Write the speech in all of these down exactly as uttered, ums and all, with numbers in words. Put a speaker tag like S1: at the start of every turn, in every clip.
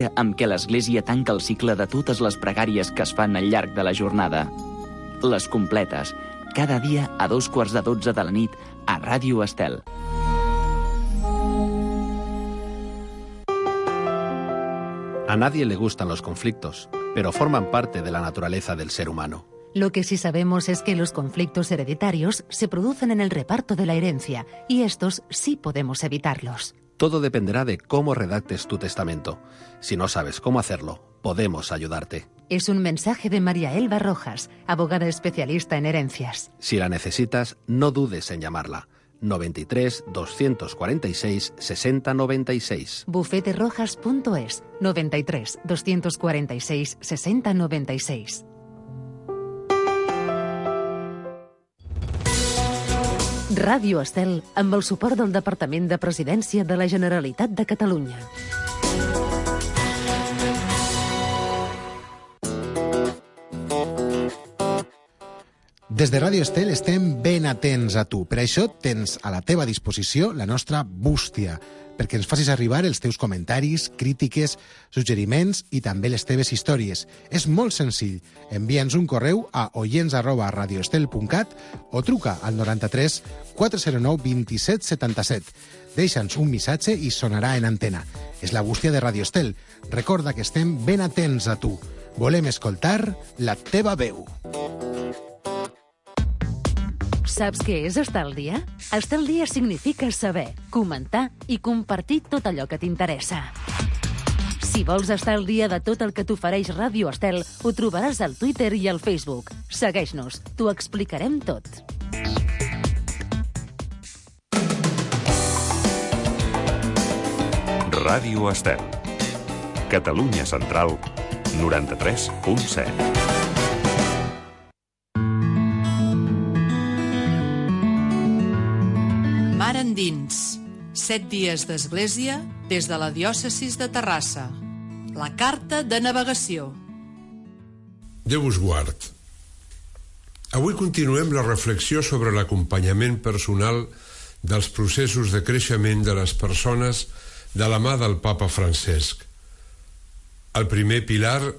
S1: amb què l'Església tanca el cicle de totes les pregàries que es fan al llarg de la jornada. Les completes, cada dia a dos quarts de dotze de la nit a Ràdio Estel.
S2: A nadie le gustan los conflictos, pero forman parte de la naturaleza del ser humano.
S3: Lo que sí sabemos es que los conflictos hereditarios se producen en el reparto de la herencia, y estos sí podemos evitarlos.
S2: Todo dependerá de cómo redactes tu testamento. Si no sabes cómo hacerlo, podemos ayudarte.
S3: Es un mensaje de María Elba Rojas, abogada especialista en herencias.
S2: Si la necesitas, no dudes en llamarla. noventa y tres, doscientos cuarenta y seis, sesenta noventa y seis.
S3: bufete rojas punto es, noventa y tres, doscientos cuarenta y seis, sesenta noventa y seis. Ràdio Estel, amb el suport del Departament de Presidència de la Generalitat de Catalunya.
S4: Des de Ràdio Estel estem ben atents a tu. Per això tens a la teva disposició la nostra bústia, perquè ens facis arribar els teus comentaris, crítiques, suggeriments i també les teves històries. És molt senzill. Envia'ns un correu a oients arroba radioestel punt cat o truca al noranta-tres quatre zero nou vint set setanta set. Deixa'ns un missatge i sonarà en antena. És la bústia de Ràdio Estel. Recorda que estem ben atents a tu. Volem escoltar la teva veu.
S3: Saps què és estar al dia? Estar al dia significa saber, comentar i compartir tot allò que t'interessa. Si vols estar al dia de tot el que t'ofereix Ràdio Estel, ho trobaràs al Twitter i al Facebook. Segueix-nos, t'ho explicarem tot.
S5: Ràdio Estel. Catalunya Central, noranta-tres punt set.
S6: Mar endins. Set dies d'església des de la diòcesis de Terrassa. La carta de navegació.
S7: Déu us guard. Avui continuem la reflexió sobre l'acompanyament personal dels processos de creixement de les persones de la mà del Papa Francesc. El primer pilar,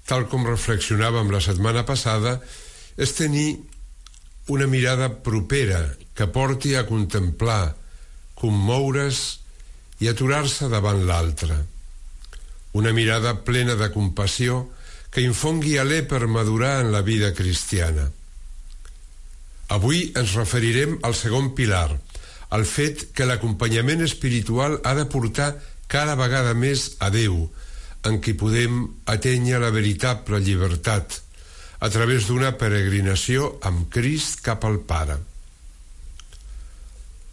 S7: tal com reflexionàvem la setmana passada, és tenir una mirada propera que porti a contemplar, commoure's i aturar-se davant l'altre. Una mirada plena de compassió que infongui alè per madurar en la vida cristiana. Avui ens referirem al segon pilar, al fet que l'acompanyament espiritual ha de portar cada vegada més a Déu, en qui podem atènyer la veritable llibertat, a través d'una peregrinació amb Crist cap al Pare.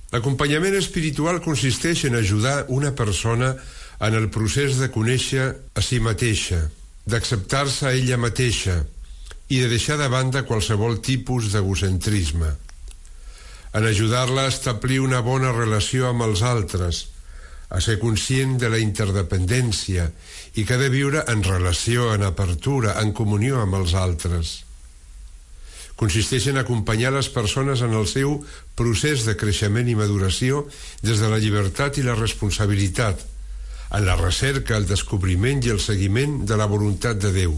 S7: L'acompanyament espiritual consisteix en ajudar una persona en el procés de conèixer a si mateixa, d'acceptar-se a ella mateixa i de deixar de banda qualsevol tipus d'egocentrisme, en ajudar-la a establir una bona relació amb els altres, a ser conscient de la interdependència i que ha de viure en relació, en apertura, en comunió amb els altres. Consisteix en acompanyar les persones en el seu procés de creixement i maduració des de la llibertat i la responsabilitat, en la recerca, el descobriment i el seguiment de la voluntat de Déu,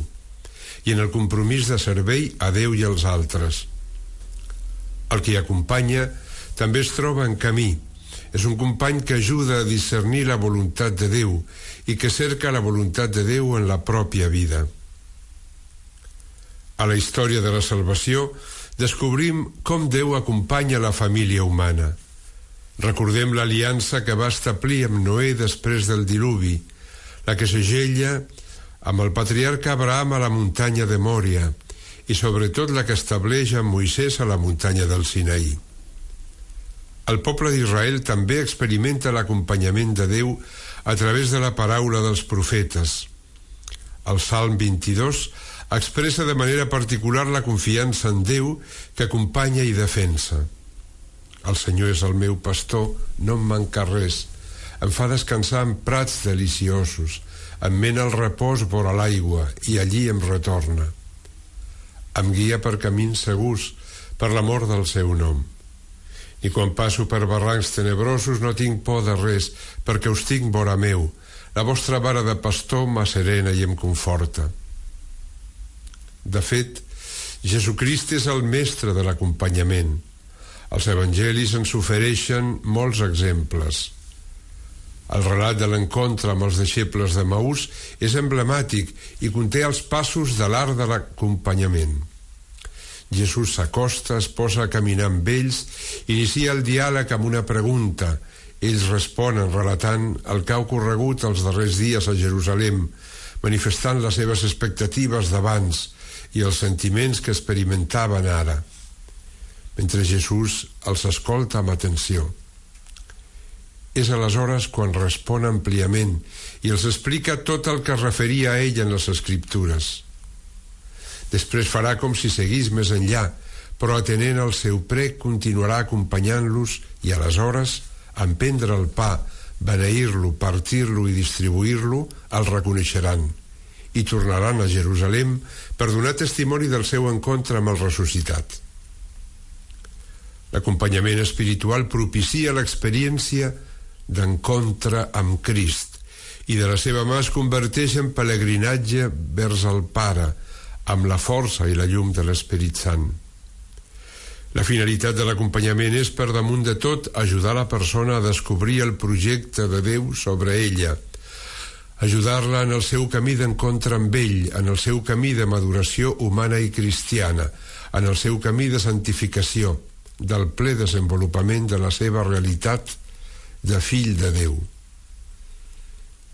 S7: i en el compromís de servei a Déu i als altres. El que acompanya també es troba en camí. És un company que ajuda a discernir la voluntat de Déu i que cerca la voluntat de Déu en la pròpia vida. A la història de la salvació descobrim com Déu acompanya la família humana. Recordem l'aliança que va establir amb Noé després del diluvi, la que segella amb el patriarca Abraham a la muntanya de Mòria i sobretot la que estableix amb Moisès a la muntanya del Sinaí. El poble d'Israel també experimenta l'acompanyament de Déu a través de la paraula dels profetes. El Salm vint-i-dos expressa de manera particular la confiança en Déu que acompanya i defensa. El Senyor és el meu pastor, no em manca res. Em fa descansar en prats deliciosos, em mena el repòs vora l'aigua i allí em retorna. Em guia per camins segurs per l'amor del seu nom. I quan passo per barrancs tenebrosos no tinc por de res, perquè us tinc vora meu. La vostra vara de pastor m'asserena i em conforta. De fet, Jesucrist és el mestre de l'acompanyament. Els evangelis ens ofereixen molts exemples. El relat de l'encontre amb els deixebles de Maús és emblemàtic i conté els passos de l'art de l'acompanyament. Jesús s'acosta, es posa a caminar amb ells, inicia el diàleg amb una pregunta. Ells responen relatant el que ha ocorregut els darrers dies a Jerusalem, manifestant les seves expectatives d'abans i els sentiments que experimentaven ara, mentre Jesús els escolta amb atenció. És aleshores quan respon àmpliament i els explica tot el que es referia a ell en les Escriptures. Després farà com si seguís més enllà, però atenent al seu prec continuarà acompanyant-los i aleshores, en prendre el pa, beneir-lo, partir-lo i distribuir-lo, el reconeixeran i tornaran a Jerusalem per donar testimoni del seu encontre amb el ressuscitat. L'acompanyament espiritual propicia l'experiència d'encontre amb Crist i de la seva mà es converteix en pelegrinatge vers el Pare amb la força i la llum de l'Esperit Sant. La finalitat de l'acompanyament és, per damunt de tot, ajudar la persona a descobrir el projecte de Déu sobre ella, ajudar-la en el seu camí d'encontre amb ell, en el seu camí de maduració humana i cristiana, en el seu camí de santificació, del ple desenvolupament de la seva realitat de fill de Déu,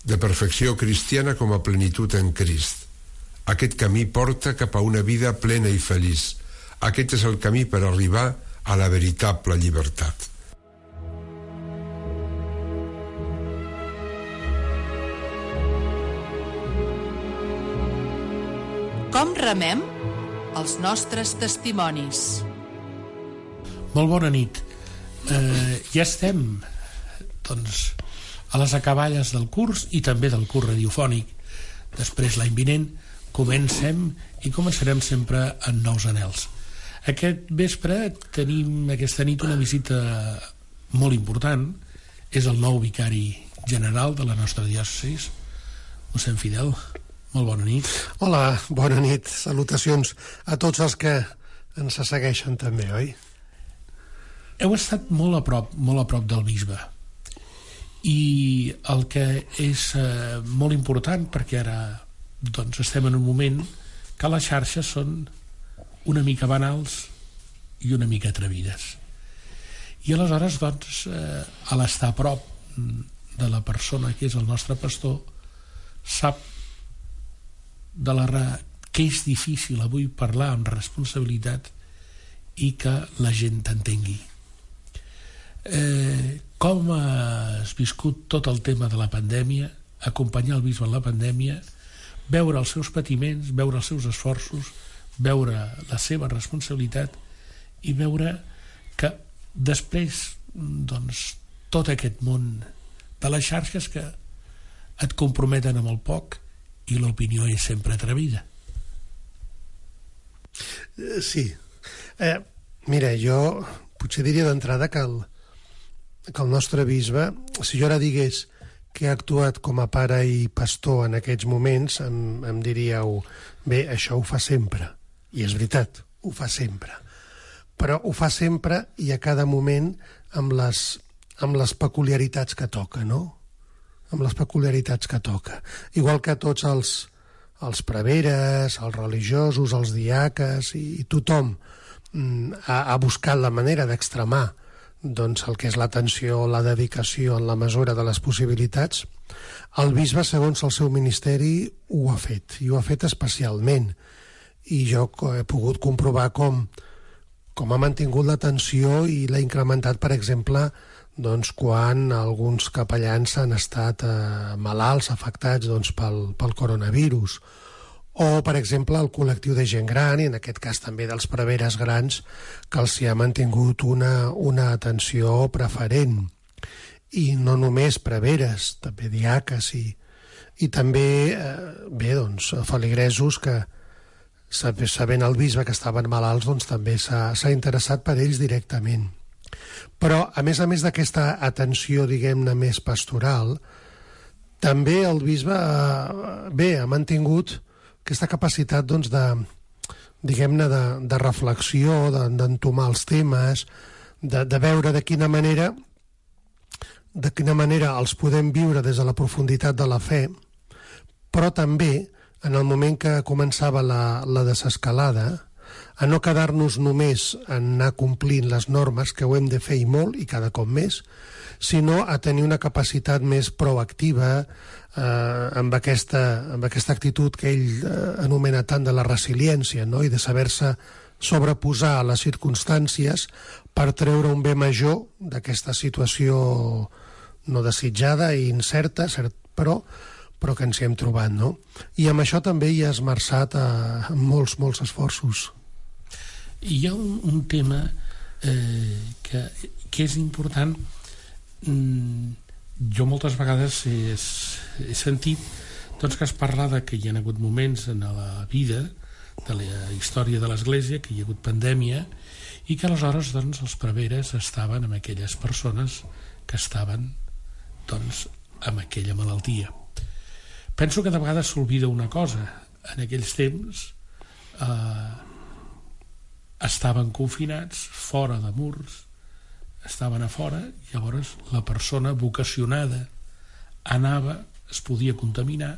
S7: de perfecció cristiana com a plenitud en Crist. Aquest camí porta cap a una vida plena i feliç. Aquest és el camí per arribar a la veritable llibertat.
S6: Com remem els nostres testimonis?
S8: Molt bona nit. Eh, ja estem, doncs, a les acaballes del curs i també del curs radiofònic. Després, l'any vinent, comencem i començarem sempre en nous anhels. Aquest vespre tenim aquesta nit una visita molt important. És el nou vicari general de la nostra diòcesi, mossèn Fidel. Molt bona nit.
S9: Hola, bona nit. Salutacions a tots els que ens segueixen també, oi?
S8: Heu estat molt a prop, molt a prop del bisbe. I el que és eh, molt important, perquè ara doncs, estem en un moment que les xarxes són una mica banals i una mica atrevides. I aleshores, doncs, eh, a l'estar a prop de la persona que és el nostre pastor, sap de la ra- que és difícil avui parlar amb responsabilitat i que la gent t'entengui. Eh, com has viscut tot el tema de la pandèmia, acompanyar el bisbe en la pandèmia, veure els seus patiments, veure els seus esforços, veure la seva responsabilitat i veure que després, doncs, tot aquest món de les xarxes que et comprometen amb el poc i l'opinió és sempre atrevida.
S9: Sí. Eh, mira, jo potser diria d'entrada que el, que el nostre bisbe, si jo ara digués que ha actuat com a pare i pastor en aquests moments, em, em diríeu, bé, això ho fa sempre. I és veritat, ho fa sempre. Però ho fa sempre i a cada moment amb les, amb les peculiaritats que toca, no? Amb les peculiaritats que toca. Igual que tots els, els preveres, els religiosos, els diaques i, i tothom mm, ha, ha buscat la manera d'extremar doncs, el que és l'atenció, la dedicació en la mesura de les possibilitats, el bisbe, segons el seu ministeri, ho ha fet, i ho ha fet especialment. I jo he pogut comprovar com, com ha mantingut l'atenció i l'ha incrementat, per exemple, doncs, quan alguns capellans han estat eh, malalts, afectats doncs, pel, pel coronavirus. O, per exemple, el col·lectiu de gent gran, i en aquest cas també dels preveres grans, que els hi ha mantingut una, una atenció preferent. I no només preveres, també diaques i, i també, eh, bé, doncs, feligresos que, sabent el bisbe que estaven malalts, doncs també s'ha, s'ha interessat per ells directament. Però, a més a més d'aquesta atenció, diguem-ne, més pastoral, també el bisbe eh, bé, ha mantingut aquesta capacitat doncs, de, diguem-ne, de, de reflexió, de, d'entomar els temes, de, de veure de quina manera de quina manera els podem viure des de la profunditat de la fe, però també, en el moment que començava la, la desescalada, a no quedar-nos només en anar complint les normes, que ho hem de fer i molt, i cada cop més, sinó a tenir una capacitat més proactiva eh, amb, aquesta, amb aquesta actitud que ell eh, anomena tant de la resiliència, no? I de saber-se sobreposar a les circumstàncies per treure un bé major d'aquesta situació no desitjada i incerta, cert, però, però que ens hi hem trobat, no? I amb això també hi ha esmerçat a, a molts, molts esforços.
S8: Hi ha un, un tema eh, que, que és important. Mm, jo moltes vegades he, he sentit doncs, que es parla de que hi ha hagut moments en la vida de la història de l'Església, que hi ha hagut pandèmia, i que aleshores doncs, els preveres estaven amb aquelles persones que estaven doncs, amb aquella malaltia. Penso que de vegades s'oblida una cosa. En aquells temps eh, estaven confinats, fora de murs, estaven a fora, llavors la persona vocacionada anava, es podia contaminar,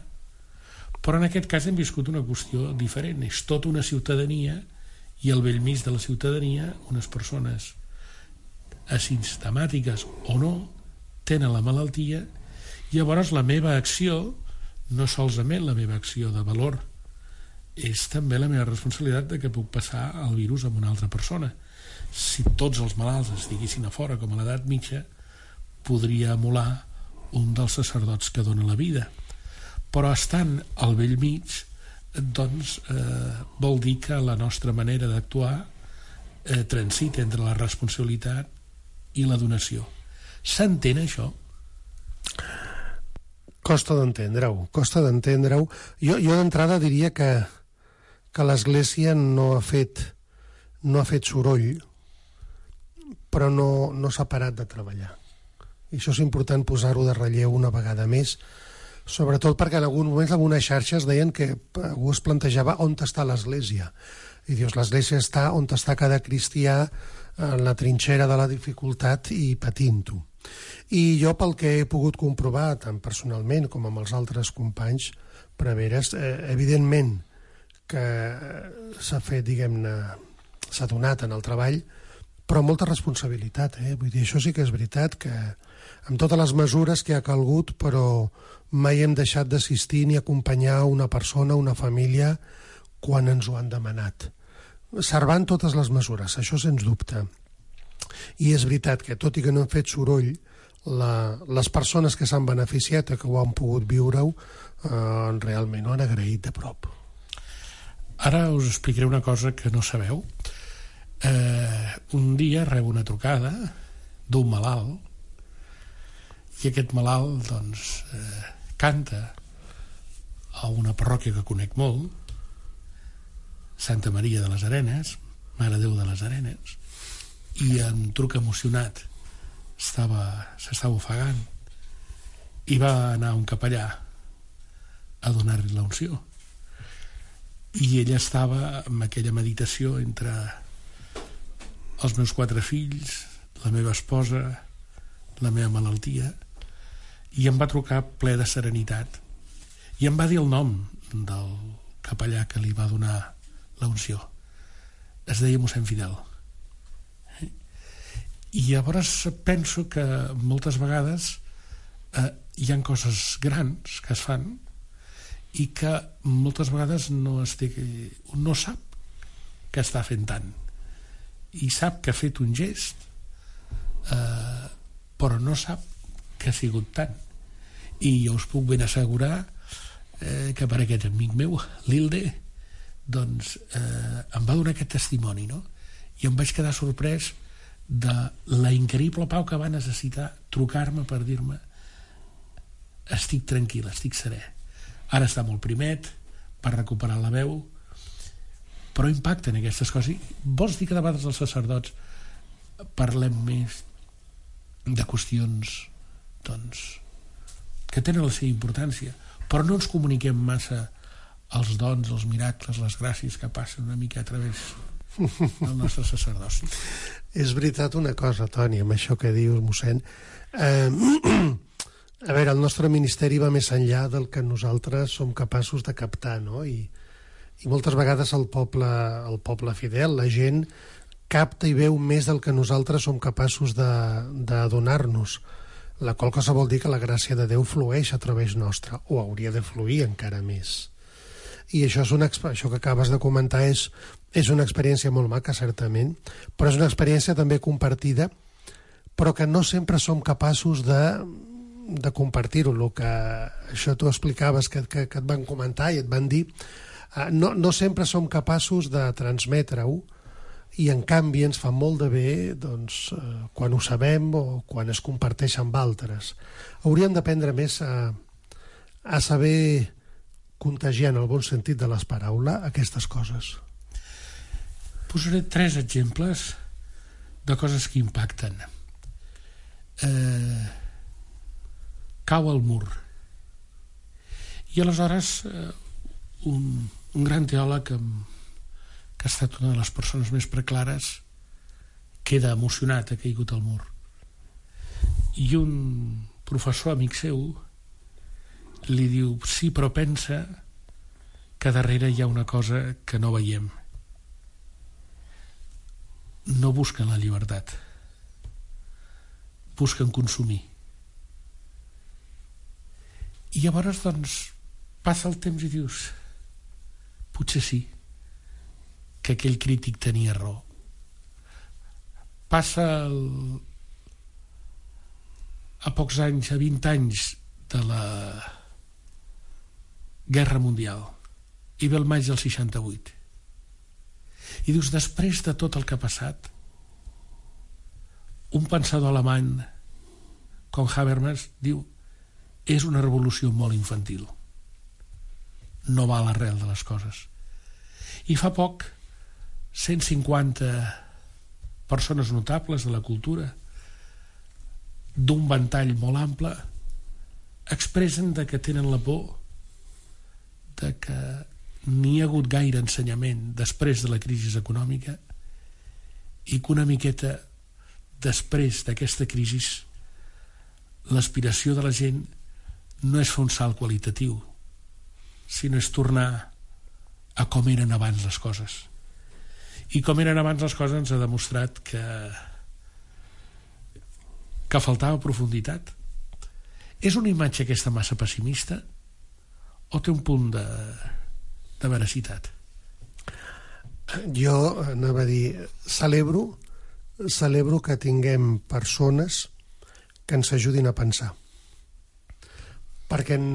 S8: però en aquest cas hem viscut una qüestió diferent. És tota una ciutadania i al bell mig de la ciutadania unes persones asimptomàtiques o no tenen la malaltia, i llavors la meva acció no solament la meva acció de valor, és també la meva responsabilitat de que puc passar el virus a una altra persona. Si tots els malalts estiguessin a fora com a l'edat mitja, podria emular un dels sacerdots que dona la vida, però estant al bell mig, doncs eh, vol dir que la nostra manera d'actuar eh, transita entre la responsabilitat i la donació. S'entén això?
S9: Costa d'entendre-ho, costa d'entendre-ho. Jo, jo d'entrada diria que, que l'Església no ha fet no ha fet soroll, però no, no s'ha parat de treballar. I això és important posar-ho de relleu una vegada més, sobretot perquè en alguns moments algunes xarxes deien que algú es plantejava on està l'Església. I dius, l'Església està on està cada cristià en la trinxera de la dificultat i patint-ho. I jo, pel que he pogut comprovar, tant personalment com amb els altres companys preveres, eh, evidentment que s'ha fet, diguem-ne, s'ha donat en el treball, però molta responsabilitat, eh? Vull dir, això sí que és veritat, que amb totes les mesures que ha calgut, però mai hem deixat d'assistir ni acompanyar una persona, una família, quan ens ho han demanat. Servant totes les mesures, això sens dubte. I és veritat que, tot i que no hem fet soroll, la, les persones que s'han beneficiat o que ho han pogut viure-ho eh, realment ho han agraït de prop.
S8: Ara us explicaré una cosa que no sabeu. Eh, un dia rebo una trucada d'un malalt, i aquest malalt doncs, eh, canta a una parròquia que conec molt, Santa Maria de les Arenes, Mare Déu de les Arenes, i em truca emocionat, estava, s'estava ofegant, i va anar un capellà a donar-li la unció, i ella estava amb aquella meditació entre els meus quatre fills, la meva esposa, la meva malaltia, i em va trucar ple de serenitat i em va dir el nom del capellà que li va donar la unció. Es deia mossèn Fidel. I llavors penso que moltes vegades eh, hi ha coses grans que es fan i que moltes vegades no, es té, no sap que està fent tant, i sap que ha fet un gest, eh, però no sap que ha sigut tant. I jo us puc ben assegurar eh, que per aquest amic meu, l'Ilde, doncs eh, em va donar aquest testimoni, no? I em vaig quedar sorprès de la increïble pau que va necessitar trucar-me per dir-me estic tranquil, estic serè, ara està molt primet per recuperar la veu, però impacten aquestes coses. Vols dir que de vegades els sacerdots parlem més de qüestions doncs que tenen la seva importància, però no ens comuniquem massa els dons, els miracles, les gràcies que passen una mica a través del nostre sacerdoci.
S9: És veritat una cosa, Toni, amb això que dius, mossèn. Eh, a veure, el nostre ministeri va més enllà del que nosaltres som capaços de captar, no? I, i moltes vegades el poble, el poble fidel, la gent, capta i veu més del que nosaltres som capaços de, de donar-nos. La qual cosa vol dir que la gràcia de Déu flueix a través nostre, o hauria de fluir encara més. I això, és una, això que acabes de comentar és, és una experiència molt maca, certament, però és una experiència també compartida, però que no sempre som capaços de, de compartir-ho. El que això tu explicaves, que, que, que et van comentar i et van dir, no, no sempre som capaços de transmetre-ho, i en canvi ens fa molt de bé doncs, quan ho sabem o quan es comparteix amb altres. Hauríem d'aprendre més a, a saber contagiar, en el bon sentit de les paraules, aquestes coses.
S8: Posaré tres exemples de coses que impacten. Eh, cau el mur. I aleshores eh, un, un gran teòleg que, que ha estat una de les persones més preclares queda emocionat, ha caigut al mur. I un professor amic seu li diu, sí, però pensa que darrere hi ha una cosa que no veiem. No busquen la llibertat, busquen consumir. I llavors, doncs, passa el temps i dius, potser sí, que aquell crític tenia raó. Passa el... a pocs anys, a vint anys de la Guerra Mundial, i ve el maig del seixanta-vuit. I dius, després de tot el que ha passat, un pensador alemany com Habermas diu, és una revolució molt infantil. No va a l'arrel de les coses. I fa poc, cent cinquanta persones notables de la cultura, d'un ventall molt ample, expressen de que tenen la por de que n'hi ha hagut gaire ensenyament després de la crisi econòmica i que una miqueta després d'aquesta crisi l'aspiració de la gent no és fer un salt qualitatiu, sinó és tornar a com eren abans les coses. I com eren abans les coses ens ha demostrat que que faltava profunditat. És una imatge aquesta massa pessimista o té un punt de, de veracitat?
S9: Jo anava a dir, celebro, celebro que tinguem persones que ens ajudin a pensar. Perquè en,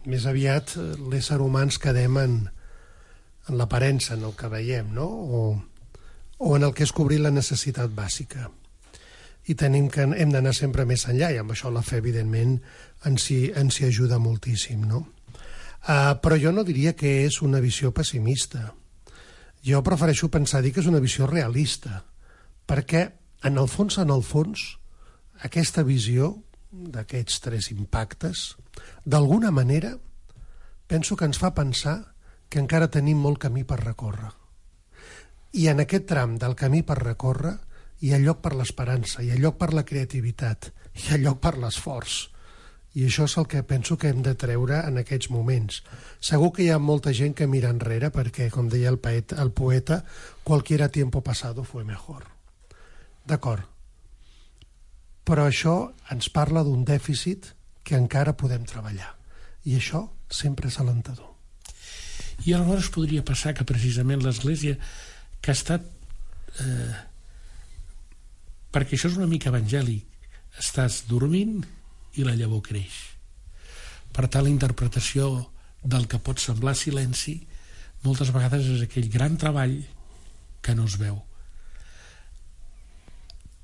S9: més aviat l'ésser humà ens quedem en, en l'aparença, en el que veiem, no? O, o en el que és cobrir la necessitat bàsica. I tenim que, hem d'anar sempre més enllà, i amb això la fe, evidentment, ens hi, ens hi ajuda moltíssim, no? Uh, però jo no diria que és una visió pessimista. Jo prefereixo pensar dir que és una visió realista, perquè en el fons, en el fons, aquesta visió d'aquests tres impactes, d'alguna manera, penso que ens fa pensar que encara tenim molt camí per recórrer. I en aquest tram del camí per recórrer hi ha lloc per l'esperança, hi ha lloc per la creativitat, hi ha lloc per l'esforç. I això és el que penso que hem de treure en aquests moments. Segur que hi ha molta gent que mira enrere perquè, com deia el poeta, el poeta cualquier tiempo pasado fue mejor. D'acord. Però això ens parla d'un dèficit que encara podem treballar. I això sempre és alentador.
S8: I aleshores podria passar que precisament l'Església, que ha estat... Eh, perquè això és una mica evangèlic, estàs dormint i la llavor creix. Per tant, la interpretació del que pot semblar silenci moltes vegades és aquell gran treball que no es veu.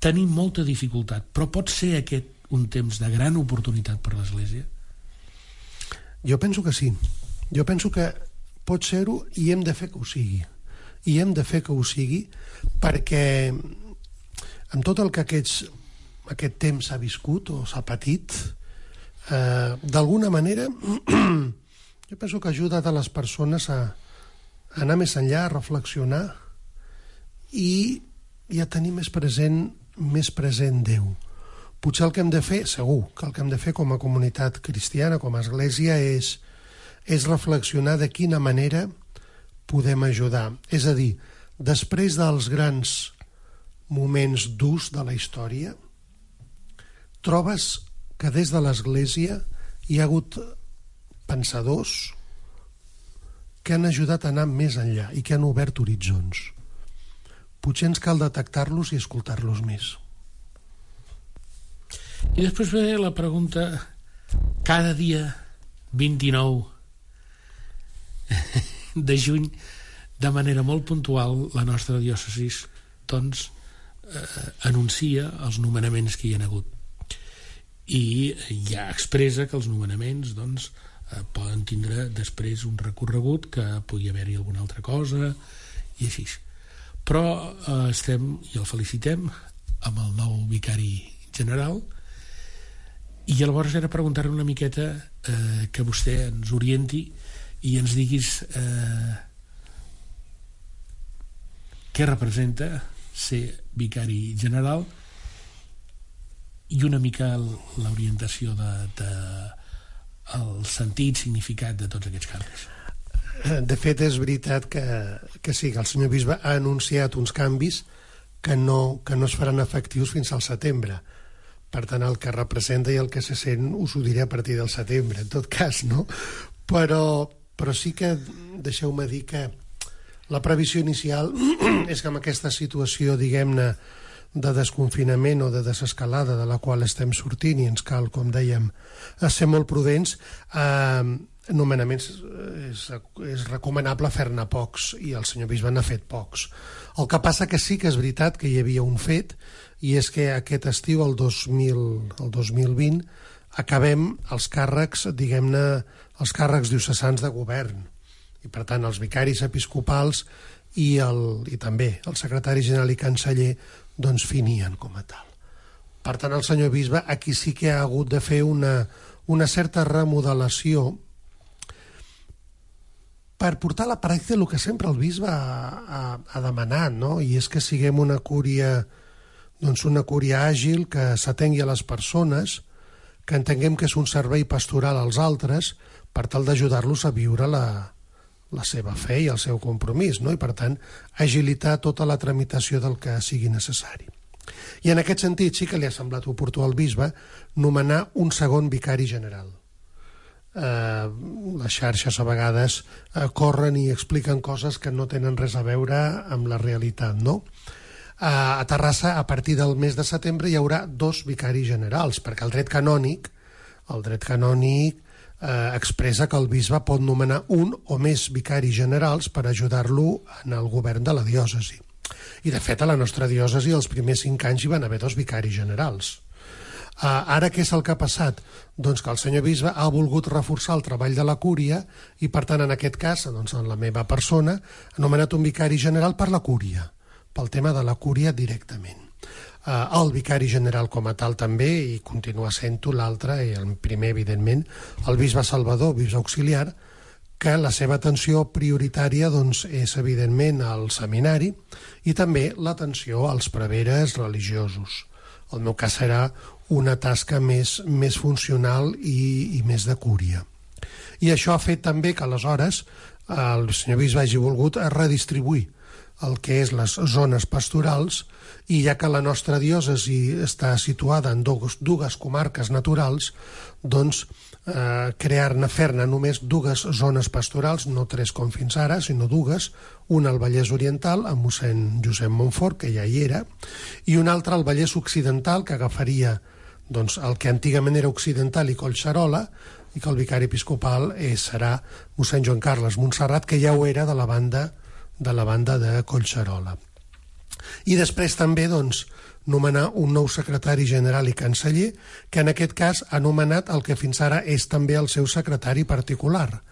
S8: Tenim molta dificultat, però pot ser aquest un temps de gran oportunitat per l'Església?
S9: Jo penso que sí. Jo penso que pot ser-ho i hem de fer que ho sigui. I hem de fer que ho sigui perquè amb tot el que aquests, aquest temps s'ha viscut o s'ha patit, eh, d'alguna manera, jo penso que ha ajudat a les persones a, a anar més enllà, a reflexionar i, i a tenir més present, més present Déu. Potser el que hem de fer, segur, que el que hem de fer com a comunitat cristiana, com a església, és, és reflexionar de quina manera podem ajudar. És a dir, després dels grans moments durs de la història, trobes que des de l'Església hi ha hagut pensadors que han ajudat a anar més enllà i que han obert horitzons. Potser ens cal detectar-los i escoltar-los més.
S8: I després ve la pregunta, cada dia vint-i-nou de juny, de manera molt puntual, la nostra diòcesi doncs, eh, anuncia els nomenaments que hi ha hagut. I ja expressa que els nomenaments doncs, eh, poden tindre després un recorregut, que pugui haver-hi alguna altra cosa, i així. Però eh, estem, i el felicitem, amb el nou vicari general, i llavors era preguntar una miqueta eh, que vostè ens orienti i ens diguis eh, què representa ser vicari general i una mica l'orientació de, de el sentit, significat de tots aquests canvis.
S9: De fet, és veritat que, que sí, que el senyor bisbe ha anunciat uns canvis que no, que no es faran efectius fins al setembre. Per tant, el que representa i el que se sent us ho diré a partir del setembre, en tot cas, no? Però, però sí que deixeu-me dir que la previsió inicial és que amb aquesta situació, diguem-ne, de desconfinament o de desescalada de la qual estem sortint i ens cal, com dèiem, ser molt prudents, eh, nomenaments és, és recomanable fer-ne pocs i el senyor bisbe n'ha fet pocs. El que passa que sí que és veritat que hi havia un fet, i és que aquest estiu, el dos mil, el dos mil vint, acabem els càrrecs, diguem-ne, els càrrecs diocesans de govern. I, per tant, els vicaris episcopals i, el, i també el secretari general i canceller doncs finien com a tal. Per tant, el senyor bisbe aquí sí que ha hagut de fer una, una certa remodelació per portar a la pràctica el que sempre el bisbe ha, ha, ha demanat, no? I és que siguem una cúria, doncs una cúria àgil, que s'atengui a les persones, que entenguem que és un servei pastoral als altres per tal d'ajudar-los a viure la, la seva fe i el seu compromís, no? I per tant agilitar tota la tramitació del que sigui necessari. I en aquest sentit sí que li ha semblat oportú al bisbe nomenar un segon vicari general. Eh, les xarxes a vegades eh, corren i expliquen coses que no tenen res a veure amb la realitat, no? A Terrassa, a partir del mes de setembre, hi haurà dos vicaris generals, perquè el dret canònic, el dret canònic eh, expressa que el bisbe pot nomenar un o més vicaris generals per ajudar-lo en el govern de la diòcesi. I, de fet, a la nostra diòcesi, els primers cinc anys hi van haver dos vicaris generals. Uh, ara què és el que ha passat? Doncs que el senyor bisbe ha volgut reforçar el treball de la cúria i, per tant, en aquest cas, doncs, en la meva persona, ha nomenat un vicari general per la cúria, pel tema de la cúria directament. Uh, el vicari general com a tal també, i continua sent-ho l'altre, i el primer, evidentment, el bisbe Salvador, bisbe auxiliar, que la seva atenció prioritària doncs, és, evidentment, al seminari i també l'atenció als preveres religiosos. El meu cas serà una tasca més, més funcional i, i més de cúria. I això ha fet també que aleshores el senyor bisbe hagi volgut redistribuir el que és les zones pastorals, i ja que la nostra diòcesi està situada en dues, dues comarques naturals, doncs eh, crear-ne, fer-ne només dues zones pastorals, no tres com fins ara, sinó dues, una al Vallès Oriental, amb mossèn Josep Montfort, que ja hi era, i una altra al Vallès Occidental, que agafaria doncs, el que antigament era Occidental i Collserola, i que el vicari episcopal eh, serà mossèn Joan Carles Montserrat, que ja ho era de la banda de la banda de Collserola. I després també doncs, nomenar un nou secretari general i canceller, que en aquest cas ha nomenat el que fins ara és també el seu secretari particular.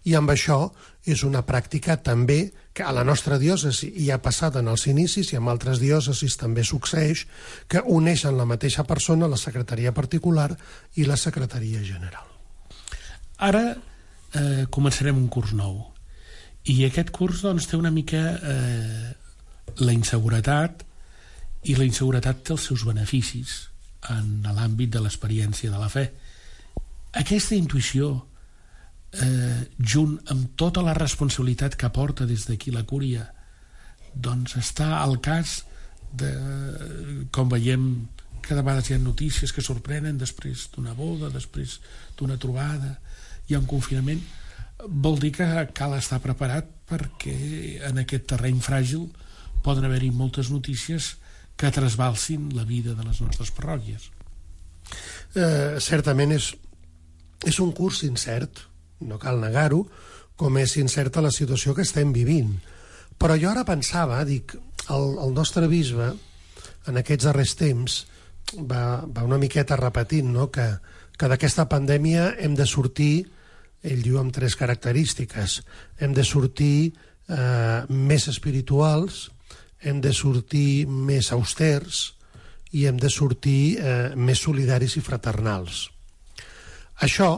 S9: I amb això és una pràctica també que a la nostra diòcesi hi ha passat en els inicis i en altres diòcesis també succeeix, que uneixen la mateixa persona, la secretaria particular i la secretaria general.
S8: Ara eh, començarem un curs nou. I aquest curs doncs, té una mica eh, la inseguretat, i la inseguretat té els seus beneficis en l'àmbit de l'experiència de la fe. Aquesta intuïció, eh, junt amb tota la responsabilitat que porta des d'aquí la cúria, doncs està al cas de, com veiem, cada vegada hi ha notícies que sorprenen després d'una boda, després d'una trobada, hi ha un confinament, vol dir que cal estar preparat perquè en aquest terreny fràgil poden haver-hi moltes notícies que trasbalsin la vida de les nostres parròquies.
S9: Eh, certament és, és un curs incert, no cal negar-ho, com és incerta la situació que estem vivint. Però jo ara pensava, dic, el, el nostre bisbe, en aquests darrers temps, va, va una miqueta repetint, no?, que, que d'aquesta pandèmia hem de sortir, ell diu, amb tres característiques. Hem de sortir eh, més espirituals, hem de sortir més austers i hem de sortir eh, més solidaris i fraternals. Això,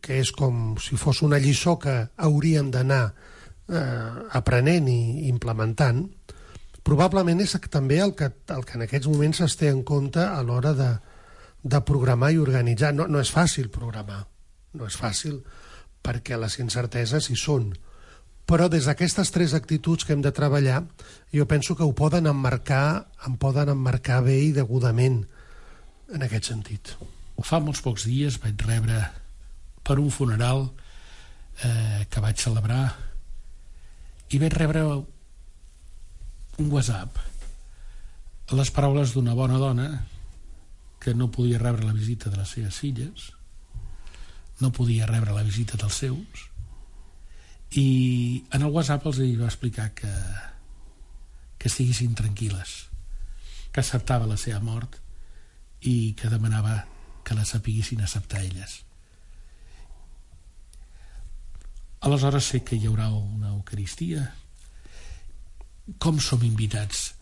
S9: que és com si fos una lliçó que hauríem d'anar eh, aprenent i implementant, probablement és també el que, el que en aquests moments es té en compte a l'hora de, de programar i organitzar. No, no és fàcil programar, no és fàcil perquè les incerteses hi són. Però des d'aquestes tres actituds que hem de treballar, jo penso que ho poden emmarcar, em poden emmarcar bé i degudament en aquest sentit.
S8: Fa molts pocs dies vaig rebre per un funeral eh, que vaig celebrar i vaig rebre un WhatsApp, les paraules d'una bona dona que no podia rebre la visita de les seves filles, no podia rebre la visita dels seus, i en el WhatsApp els va explicar que, que estiguessin tranquil·les, que acceptava la seva mort i que demanava que la sapiguessin acceptar elles. Aleshores sé que hi haurà una Eucaristia. Com som invitats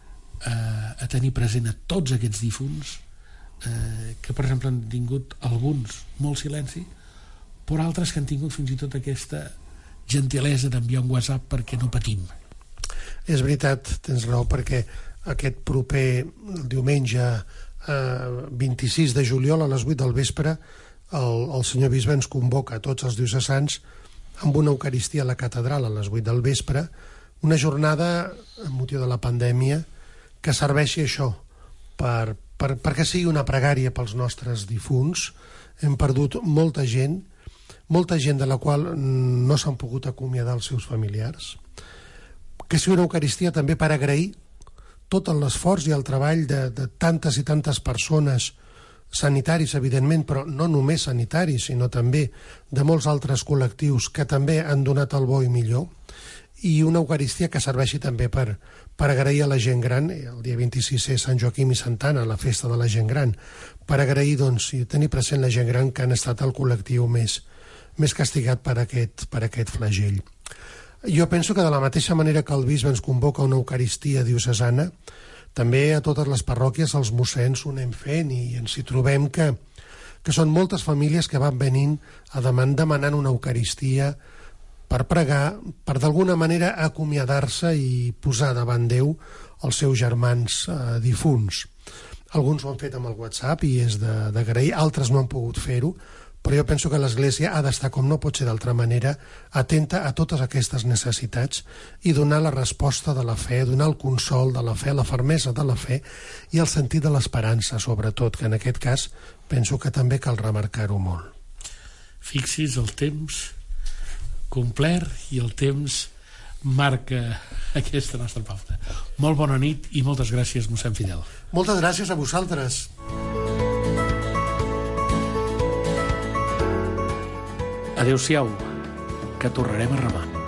S8: a, a tenir present a tots aquests difunts eh, que per exemple han tingut alguns molt silenci, però altres que han tingut fins i tot aquesta gentilesa d'enviar un WhatsApp perquè no patim.
S9: És veritat, tens raó, perquè aquest proper diumenge eh, vint-i-sis de juliol a les vuit del vespre el, el senyor bisbe ens convoca a tots els diocesans amb una Eucaristia a la catedral a les vuit del vespre, una jornada amb motiu de la pandèmia que serveixi això per, per, perquè sigui una pregària pels nostres difunts. Hem perdut molta gent, molta gent de la qual no s'han pogut acomiadar els seus familiars, que sigui una Eucaristia també per agrair tot l'esforç i el treball de, de tantes i tantes persones, sanitaris, evidentment, però no només sanitaris, sinó també de molts altres col·lectius que també han donat el bo i millor, i una Eucaristia que serveixi també per, per agrair a la gent gran. El dia vint-i-sis és Sant Joaquim i Santa Anna, la festa de la gent gran, per agrair, doncs, i tenir present la gent gran que han estat el col·lectiu més, més castigat per aquest, per aquest flagell. Jo penso que de la mateixa manera que el bisbe ens convoca una Eucaristia diocesana, també a totes les parròquies els mossens ho anem fent i ens hi trobem que, que són moltes famílies que van venint a demanar, demanant una Eucaristia per pregar, per d'alguna manera acomiadar-se i posar davant Déu els seus germans eh, difunts. Alguns ho han fet amb el WhatsApp i és d'agrair, altres no han pogut fer-ho, però jo penso que l'Església ha d'estar, com no pot ser d'altra manera, atenta a totes aquestes necessitats i donar la resposta de la fe, donar el consol de la fe, la fermesa de la fe i el sentit de l'esperança, sobretot, que en aquest cas penso que també cal remarcar-ho molt.
S8: Fixis el temps complert i el temps marca aquesta nostra pauta. Molt bona nit i moltes gràcies, mossèn Fidel.
S9: Moltes gràcies a vosaltres.
S8: Adéu-siau, que tornarem a remar.